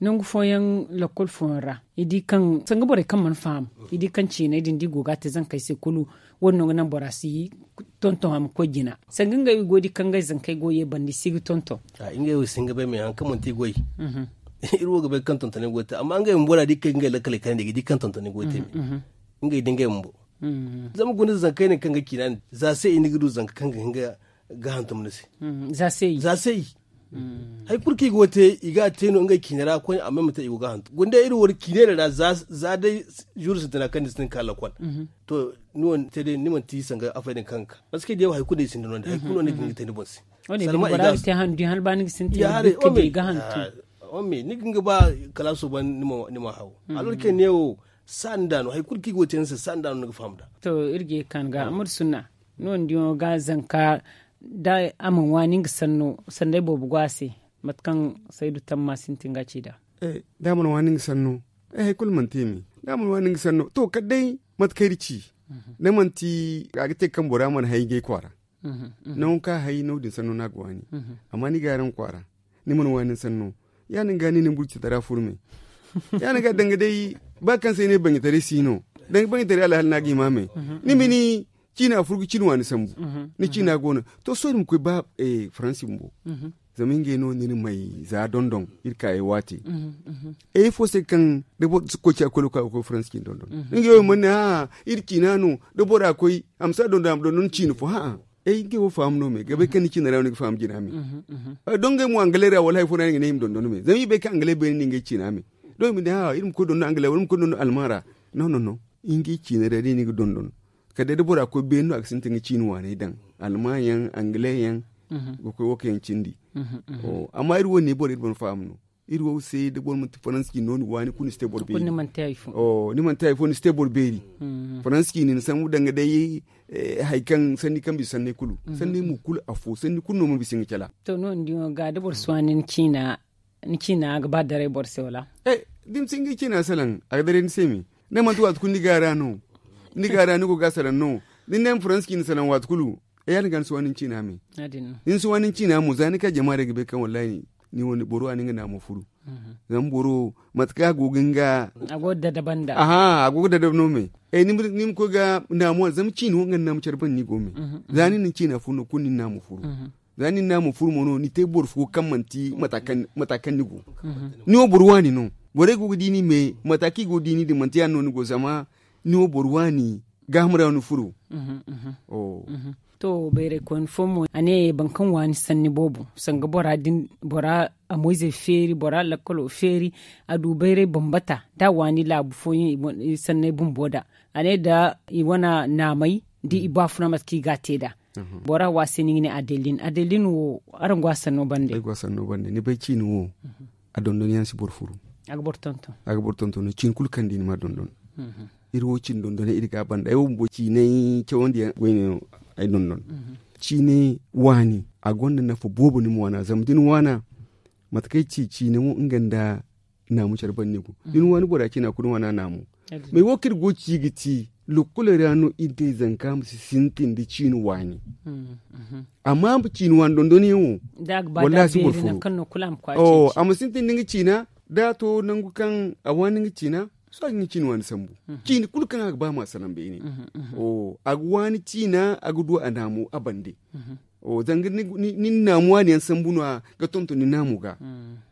Nangu fooyaŋ lakkol fooyaŋ ra i di kaŋ sanga borey kaŋ mana faham i di kaŋ ciiney din da i go ga a te zankey se kulu. Wo- din no ga naŋ bora si tonton a ma koy jina sanga ngey wo i go ga di kaŋ ngey zankey go ye banda i si ga tonton. Ngey wo i si hin ga bay me hari kaŋ manti i goy. Iri wo ga bay kaŋ tontoney go ga te amma ngey bumbo da a di kaŋ ngey lakkaley kayandi i ga di kaŋ tontoney go ga te me. Ngey da ngey bumbo zama guna zankey ne kaŋ ga ciina din za se i ni ga du zanka kaŋ ga hin ga hantum ni se. Za se i hari kulu kaŋ i go ga te i ga a te no ngey ciine ra koyne amma i ma te i go ga hantum guna day iri wo ciine din ra za day zuru sintina kaŋ ni sintin ga ka lakkol. To ni wane te day ni manti sanga afey din kaŋ ga ka parce que day wo hari kulu no i sinda no- din hari kulu no ni ga hin ga te ni boŋ se. Salma i ga te handu din hala ba ni ga sintin ga hantum. Ni ga hin ga ba kalaaso ban ni ma haw. Alor ke ne wo saani da no hari kulu kaŋ i go ga te ni se saani da no ni ga faham nd'a. To iri ga ye ga ka ni ga amadu sunna. Ni wane diyaŋo ga zanka da a mana waani nga sanno sanda ay boobo go a se. Mate kaŋ saydu tamma sintin ga a ci nd'a. Da a mana waani nga sanno ay hari kulu mana te me. Da a mana waani nga sanno to kala day mate kaŋ iri ci. Da manti a ga te kaŋ bora mana hay ngey kwaara. Nangu kaŋ a hay no- din sanno no a ga waani. Amma ni ga araŋ kwaara ni mana waani ni sanno ya- din ga ni na ni burcitara furu me. Ya- din ga danga day ba kaŋ se ay ne banjitaray si no danga banjitaray alhaali no a ga hima me. Ni ma ni ciina furu ga ciina waani sambu. Ni ciina go no to sohõ iri ma koy ba faransi bumbo. Zama ngey no ni na may za dondon iri kaayey waate. Ay fo se kaŋ da boro si koy ciya koy lokal ga koy faransi ciina dondon. Ngey wo mana ne a'a iri ciina no da bora koy a ma si a dondon a ma dondon ciina fo ha'a. Ay ngey wo faham no me ga bay kaŋ ni ciina ra no ni ga faham jina me. Don ngey mo angalay ra wala hari fo no ya- din ga ne i ma dondon me zama i bay kaŋ angalay beene no ngey ciina me. Don i ma ne a'a iri ma koy dondon angalay wala iri ma koy dondon alman ra. No no no ngey ciina ra day no i ga dondon. Kala day da bora koy beene no a ga sintin ga ciina waaney daŋ alman yaŋ angalay yaŋ ga koy wo kaŋ yaŋ cindi. Amma iri wo ne boro iri mana faham no. Iri wo se da boro manti faransi ciine no ni waani kulu ni si te boro beeri. Ni mana te hari fo ni si te boro beeri. Faransi ciine ni sambu danga day hari kaŋ sanni kaŋ bisa sanney kulu sanney mo kulu afo sanni kulu no mana bisa nga cala. To no- din ga da boro si waani ni ciina ni ciina ga ba daray boro se wala? Da ni si nga ciina salaŋ a ga daray ni se me. Ni manti waati kulu ni gaara no ni gaara ni go ga a salaŋ no. Da ni ne ma faransi ciina salaŋ waati kulu ya- din ga ni si waani ni ciina me. Ni si waani ni ciina mo za ni ka jama day ga bay kaŋ wallahi ni wane boro a na nga naamo furu. Zama boro mate kaŋ a go ga nga a go ga dadaba nd'a. Aha a go ga dadaba no me. Ni ma koy ga naamo a zama ciina wo nga ni naamo care banda ni go me. Za ni na ni ciina furu no kulu ni na naamo furu. Za ni na naamo furu mo no ni te boro fo kaŋ manti mata kaŋ ni go. Ni wo boro waani no. Borey go ga di ni me mata kaŋ i go ga di ni din manti ya- din no ni go zama ni wo boro waani gaaham ra no ni furu. To bayray koyne fo mo a ne boro kaŋ waani sanni boobo sanga bora din bora a moyzey feeri bora lakkalo feeri a du bayray bambata da a waani laabu fooyaŋ i sanney bumbo da a ne da i wane naamey da i baafuna mate kaŋ i ga a te nd'a. Bora wo a se no i ga ne adelin adelin wo araŋ go a sanno bande. Ni bay ciini wo a dondon yaŋ si boro furu. A ga boro tonton no ciini kulu kaŋ di ni ma dondon. Iri wo cine dondonay iri ga a banda ay wo bumbo ciinay cawandiyaŋ goy no ay dondon. Ciinay waani a gonda nafa boobo ni ma waana zama da ni waana mate kaŋ ay ci ciinay wo nga nda naamu care banda ni go da ni waani bora ciina kulu ni waana naamu. Mais wo kaŋ iri go ga ci ga ci lokkoley ra no iri day zanka ma si sintin da ciina waani. Amma ciina waani dondonyaŋ wo wallahi a si boro furu. A ma sintin da nga ciina da a to nangu kaŋ a waani nga ciina. Sohõ a ga nga ciina waani sambu. Ciina kulu kaŋ a ga ba ma a salaŋ beene. A ga waani ciina a ga du a naamo a bande. Zanga ni na naamo waani yaŋ sambu no- ya ga tonton ni naamo ga.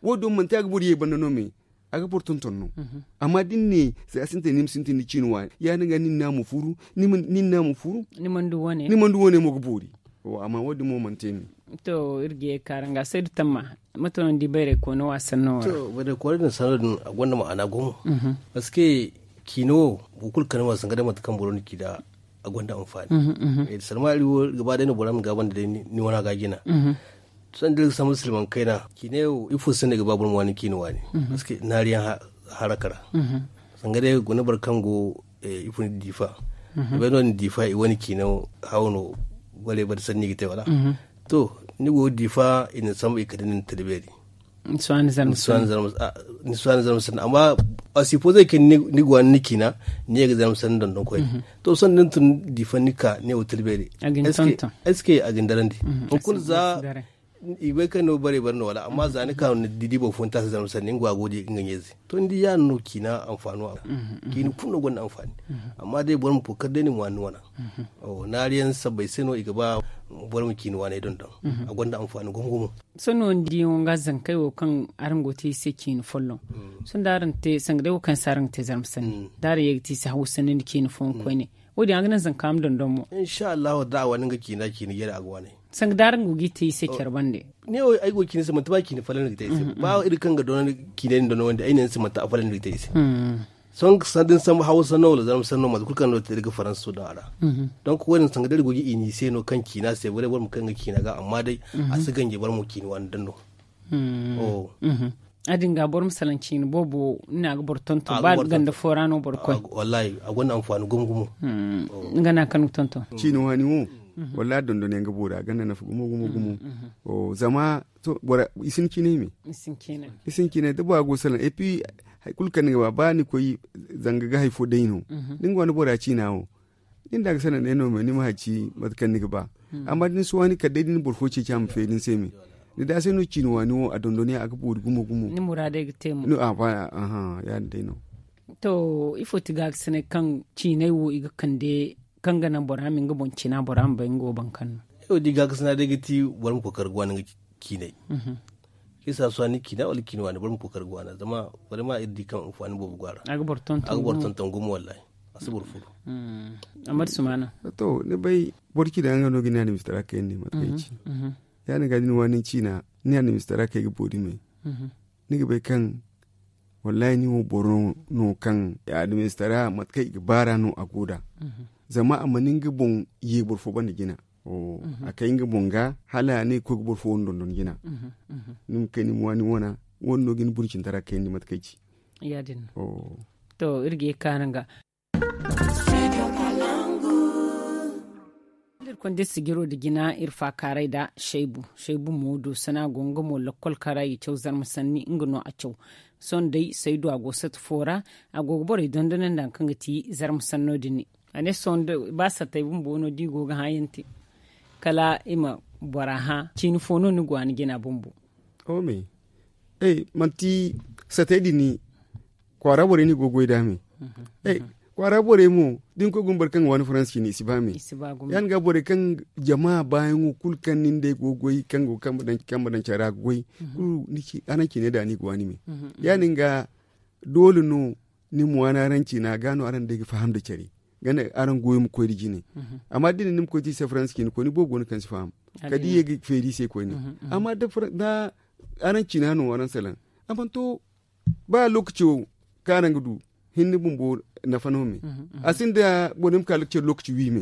Wo- din manti a ga boro ye banda no me a ga boro tonton no. Amma da ni ne za a sintin ni ma sintin ni ciina waani ya- din ga ni na naamo furu ni na naamo furu. Ni mana du wane mo ga boori. Amma wo- din mo mana te ni. To iri ga ye ga kaara nga saydu tamma mate no ni di bayray koono wo a sanno wo ra? To bayray koono din sanno din a gonda ma'ana gumo. Parce que ciina wo boro kulu kande ma zanga day mate kaŋ boro na ci nd'a a gonda anfaani. Salma iri wo gaba day no bora ma gaabandi day ni wana ga jina. Sanda iri ga sambu silmaŋ kayna ciina wo ifo se no i ga ba boro ma waani ciina waani? Parce que naariyaŋ haraka ra. Zanga day guna boro kaŋ go ifo ni diifa i bay no- din diifa i wane ciina haw no. Borey bare sanni i ga te wala? To ni go diifa i na ni sambu i kande ni na tala beeri. Ni si waani zarma sanni. Ni si waani zarma sanni amma a si fo zai kaŋ ni ga waani ni ciina, ni ye ga zarma sanni dondon koyne. To sohõ da ni tun diifaŋ ni ka ne wo tilbeeri. Est-ce que a ga ni darandi? Hunkuna za i bay kaŋ no bare bare no wala amma za ni ka no ni di boro fo ni taasi zarma sanni nga go ga di nga ɲeezi. To ni di yaadin no ciina anfaano a ra. Ciina kulu no gonda anfaani. Amma day boro ma kookari day ni ma waani ni wana. Naari yaŋ sabbay se no i ga ba boro ma ciina waanay dondon. A gonda anfaani gumo gumo. Sohõ ni di yaŋo ga zankey wo kaŋ araŋ go ga te i se ciina folloŋ. Sohõ da araŋ te sanga day wo kaŋ se araŋ ga te zarma sanni da araŋ ye ga te i se hawsa nda ciina fooyaŋ koyne. Wo- din a ga naŋ zanka ma dondon mo. Insa allahu da a wane nga ciina ciina jare a ga waanay. Sanga da araŋ go ga i te i se care bande. Ne wo ay go ga ciina se manti ba ciina folloŋ ni ga te i se ba iri kaŋ ga dondon ciinay din dondon wande ay ne ni se manti a folloŋ ni ga te i se. Sohõ sanda ni sambu hawsa no wala zarma sanno mate kulu kaŋ no te iri ga faransa daŋ a ra. Donk wo- din sanga da iri go ga i ni se no kaŋ ciina se bare boro ma kaŋ ga ciina ga amma day a si ganji boro ma ciina waani daŋ no. A din ga boro ma salaŋ ciina boobo ni na ga boro tonton ba ganda fo ra no boro koy. Wallahi a gonda anfaani gumo gumo. Nga na kaŋ ga tonton ciina waani wo. Wallahi dondon yaŋ ga boori a gonda nafa gumo gumo gumo. Zama i si ni ciinay me. I si ni ciinay da bora go salaŋ et puis hari kulu kaŋ ni ga ba ba ni koy zanga ga hari fo day no. Da ni go ni bora ciina wo. Din da ga sanaŋ day no me ni ma haci mate kaŋ ni ga ba. Amma da ni si waani kala day da ni boro fo ceeci a ma feeri ni se me. Ni da se no ciina waani wo a dondon yaŋ a ga boori gumo gumo. Ni muraadey ga te mo. Aha ya- din day no. To ifo ti ga ga sanay kaŋ ciinay wo i ga kande kaŋ ga naŋ bora ma nga boŋ ciina bora ma bay nga wo baŋ kaŋ no. Ay wo da i ga ga sanay day ga ti boro ma kookari ga waani nga ciinay. Isa suwa ni ciina wala ciina waani boro ma kookari ga waana zama boro ma iri di kaŋ anfaani boobo go a ra. A ga boro tonton gumo wallahi. A si boro furu. Amma da sumaana. To ni bay boro ciina nga no ga ni annabi sitara kayandi mate kaŋ ay ci. Ya- din ga da ni waani ciina ni annabi sitara kay ga boori me. Ni ga bay kaŋ wallahi ni wo boro no kaŋ annabi sitara mate kaŋ i ga baara no a go da. Zama a mana nga boŋ ye boro fo banda jina. A kay nga boŋ ga hala a ne ga koy ga boro fo wane dondon jina. Ni ma kay ni ma waani wana wane no ga ni burcintara kayandi mate kaŋ ay ci. Ya- din no. To iri ga ye ga kaanu nga. Iri konda iri sijiro nda jina iri faakaaray nda shaybu. Shaybu mo doosana go nga mo lakkol kaŋ ra i ga caw zarma sanni nga no a caw. Sohõ day saydu a go sata fo ra. A go ga borey dondonandi hari kaŋ ga ti zarma sanno din. A ne sohõ ba satay bumbo no da i go ga hãayaŋ te kala i ma bora hã ciini fo no ni go a ni jina bumbo. Manti satay din kwaara borey no i go ga goy nd'a me. Kwaara borey mo da ni koy ga guna boro kaŋ ga waani faransa ciine i si ba me. Ya- din ga borey kaŋ jama baayaŋo kulu kaŋ nin day go ga goy kaŋ go ga kambe daŋ care ra ga goy. Kulu araŋ ciinay da ni ga waani me. Ya- din ga doole no ni ma waani araŋ ciina ga no araŋ day ga faham nda care. Ganda araŋ goyo ma koy nda jine. Amma da ni ne ni ma koy ti se faransa ciine koyne boobo go no kaŋ si faham kala da i ye ga feeri i se koyne. Amma da araŋ ciina no araŋ salaŋ a mana to ba lokaco kaŋ araŋ ga du hinne bumbo nafa no me. A sinda boro ni ma ka lokaci wi me.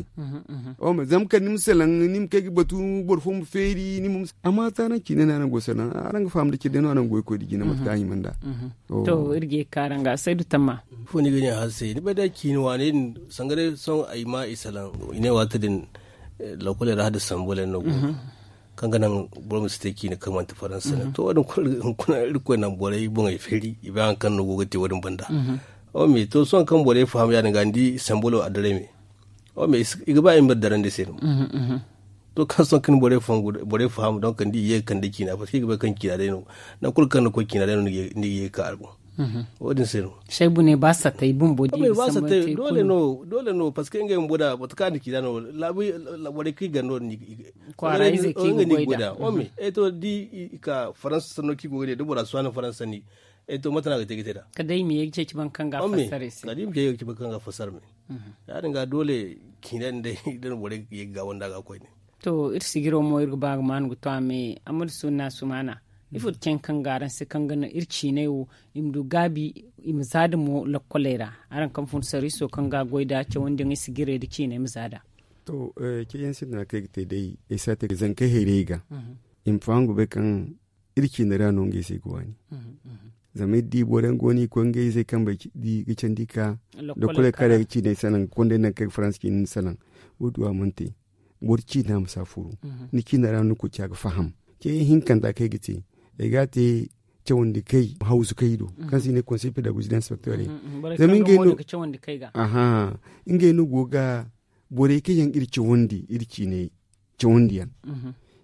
Zama kala ni ma salaŋ ni ma kay ga batu boro fo ma feeri ni ma amma za araŋ ciine no araŋ go salaŋ araŋ ga faham nda care day no araŋ goy koy nda jine mate kaŋ a hima nd'a. To iri ga ye ga ka araŋ ga saydu tamma. Ifo ni ga ne a se ni bay day ciine waaney din sanga day sohõ ay ma i salaŋ i ne waati din lakoley ra hala da sambol yaŋ no go kaŋ ga naŋ boro ma si te ciine kaŋ manti faransa no to wo- din kulu hunkuna irkoy naŋ borey boŋey feeri i bay hari kaŋ no go ga te wo- din banda. Wo- me to sohõ kaŋ borey faham ya- din ga ni di sambolo a daray me. Wo- me i ga ba i ma iri darandi se no. To kaŋ sohõ kaŋ borey faham donk ni di i ye ga kande ciina parce que i ga bay kaŋ ciina day no. Nangu kulu kaŋ ni koy ciina day no ni ga ye ga ka a boŋ. Wo- din se no. Shaybu ne ba satay bumbo di ga sambu te doole no parce que ngey bumbo da mate kaŋ a na ciina no laabu borey kaŋ i ganda no din kwaara ize kaŋ i ga goy da. Wo- me to da i ka faransa sanno kaŋ i go ga ne da bora si waani faransa sanni. To mate no a ga te ga te nd'a kala day i ma ye ga ceeci boro kaŋ ga a fassara i se. Kala day i ma ye ga ceeci boro kaŋ ga a fassara me. Ya- din ga doole ciina din day da no borey ga ye ga gaawandi a ga koyne. To iri sijiro mo iri ga ba ga maanu ga to a me amma da sunna sumaana ifo ti cen kaŋ ga araŋ se kaŋ ga naŋ iri ciinay wo i ma du gaabi i ma za da mo lakkoley ra. Araŋ kaŋ fun sarwiiso kaŋ ga a goy nd'a cawandi yaŋ iri sijirey nda ciinay ma za nd'a. To ceeciyaŋ sintina kaŋ ay ga te day ay si a te zankey hayrayey ga i ma faham ga bay kaŋ iri ciine ra no ngey se ga waani. Zama iri di boro yaŋ go no i koy ngey izey kambey ga candi ka da kole kare ga ciiney salaŋ ga konda yaŋ naŋ kaŋ ay ga faransa ciine ni salaŋ. Wo- din a mana te boro ciina ma si a furu. Ni ciina ra no ni koy ci a ga faham. Ceeciyaŋ hinkanta kaŋ ay ga te ay ga a te cawandi kay hawzu kay do, kaŋ se i ne konsey pedagozi da inspektore. Zama ngey no, aha, ngey no go ga borey kaŋ yaŋ iri cawandi iri ciiney cawandiyaŋ,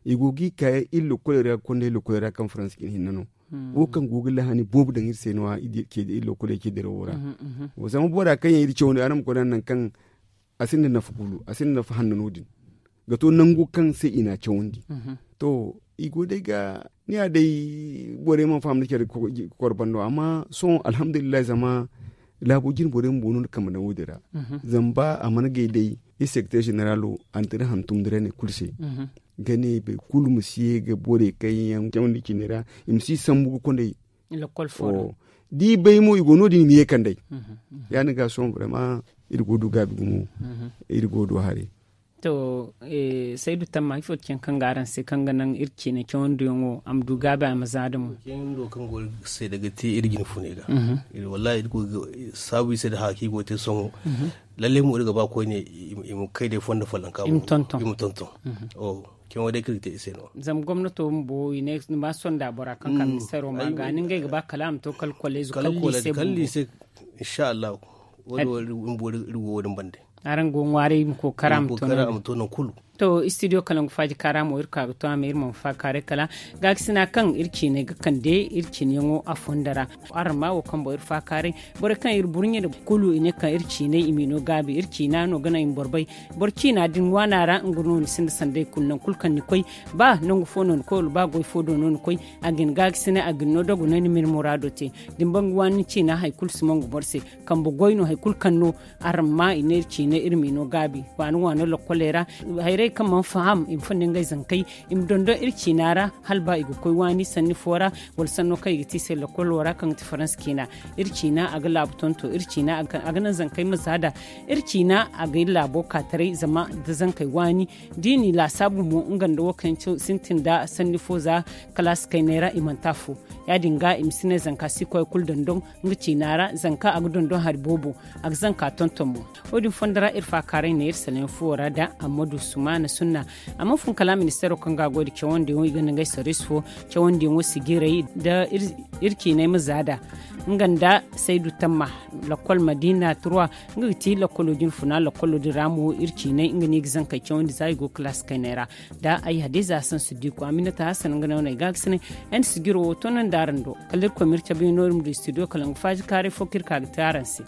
i go ga i ka iri lokkoley ra ga konda iri lokkoley ra kaŋ faransa cine hinne no. Wo kaŋ go ga lahani boobo daŋ iri se no- ya iri lokkoley ce dirawo ra. Zama bora kaŋ yaŋ iri cawandi araŋ ma koy naŋ nangu kaŋ a sinda nafa kulu, a sinda nafa hanno no- din ga to nangu kaŋ se i n'a cawandi. To, i go day ga ni ya day borey mana faham nda care ga kor bando amma sohõ alhamdulillahi zama laabo jine borey bumbo no ni kambe naŋ wo- din ra. Zama ba a mana gay day iri sekreteer zeneralo a na tira hantum da rene kulu se ga ne boro kulu ma si ye ga borey kaŋ yaŋ cawandi cine ra i ma si sambu ga konday. Da i bay mo i go no- din i ma ye kand'ey. Ya- din ga sohõ brema iri go du gaabi gumo. Iri go du haray. To, saydu tamma ifo ti caŋ kaŋ ga araŋ se kaŋ ga naŋ iri ciine cawandiyaŋo a ma du gaabi a ma za da mo? Kaŋ go ga se daga te iri jine funey ga. Wallahi iri go ga saabu i se da haya kaŋ i go ga te sohõ. Lalle mo iri ga ba koyne i ma kay day fondo follanka i ma tonton. Cawo day kaŋ iri ga te i se no. Zama gomnato bumbo i ne ni ma sonda bora kaŋ ka ministeero ma ga ni ngey ga ba kala a ma to kala kolleezo kala liise bumbo. Inshallahu. Wo- din wo- din bumbo iri go wo- din bande. Araŋ go ŋwaaray i ma kookara a ma to nangu kulu. To, studio kalangu faaji kaara mo iri ka ga to a ma iri ma faakaaray kala gaakasina kaŋ iri ciinay ga kande iri ciiniyaŋo a fondo ra. Araŋ ma wo kaŋ boŋ iri faakaaray borey kaŋ iri burɲe nda kulu i ne kaŋ iri ciinay i m'i no gaabi iri ciina no ga naŋ i ma boro bay. Boro ciina din waana ra nga no ni sinda sanday kulu nangu kulu kaŋ ni koy, ba nangu fo no ni koy wala ba goy fo do no ni koy, a ga ni gaagasinay a ga ni no dogonay ni ma ni muraado te. Da ni ban ga waani ni ciina hari kulu si mongo boro se. Kambe goy no hari kulu kaŋ no araŋ ma i ne iri ciina iri m'i no gaabi waani waano lokkoley ra. Hayrey kaŋ mana faham i ma fonda ngey zankey i ma dondon iri ciina ra hala ba i ga koy waani sanni fo ra, wala sanno kaŋ i ga te i se lokkolo ra kaŋ ga ti faransa ciina. Iri ciina a ga laabu tonto iri ciina a ga naŋ zankey ma za nd'a. Iri ciina a ga iri laabo ka taray zama da zankey waani da i n'i laasaabu mo nga nda wo kaŋ sintin nda sanni fo za kalaasi kayney ra i manti afo. Ya- din ga i ma si ne zanka si koy kulu dondon nga ciina ra zanka a ga dondon hari boobo a ga zanka tonton mo. Wo- din fondo ra iri faakaaray ne iri salaŋ fuwo ra nda ammadu sumaana sunna. A mana fun kala ministeero kaŋ ga a goy nda cawandiyaŋo i gonda ngey sarwiisi fo cawandiyaŋo sijiray nda iri ciinay ma za nd'a. Nga nda saydu tamma lakkol madiina turwa nga ga ti lakkolo din funa lakkolo din ra mo iri ciinay nga no i ga zankey cawandi za i go kalaasi kayney ra. Da ay hadiza hasan siddiku aminata hasan nga no no ay gaagasinay. Ay na sijiro wo to naŋ da araŋ do kala irkoy ma iri cabe no iri ma du studio kala nga faaji kaaray fo kaŋ iri ka ga te araŋ se.